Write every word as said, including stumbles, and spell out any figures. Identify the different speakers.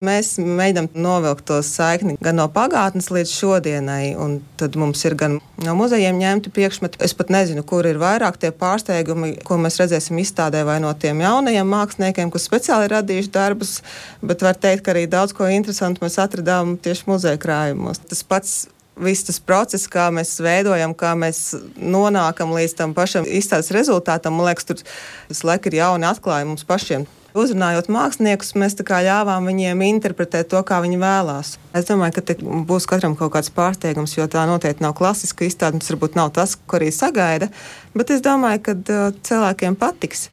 Speaker 1: Mēs mēģinām novilkt to saikni gan no pagātnes līdz šodienai, un tad mums ir gan no muzejiem ņemti priekšmeti. Es pat nezinu, kur ir vairāk tie pārsteigumi, ko mēs redzēsim izstādē, vai no tiem jaunajiem māksliniekiem, kas speciāli ir radījuši darbus, bet var teikt, ka arī daudz ko interesantu mēs atradām tieši muzeja krājumos. Tas pats viss tas process, kā mēs veidojam, kā mēs nonākam līdz tam pašam izstādes rezultātam, man liekas, tur visu laiku ir jauni atklājumi mums pašiem. Uzrunājot māksliniekus, mēs tā kā ļāvām viņiem interpretēt to, kā viņi vēlās. Es domāju, ka te būs katram kaut kāds pārsteigums, jo tā noteikti nav klasiska izstāde, tas varbūt nav tas, ko arī sagaida, bet es domāju, ka cilvēkiem patiks.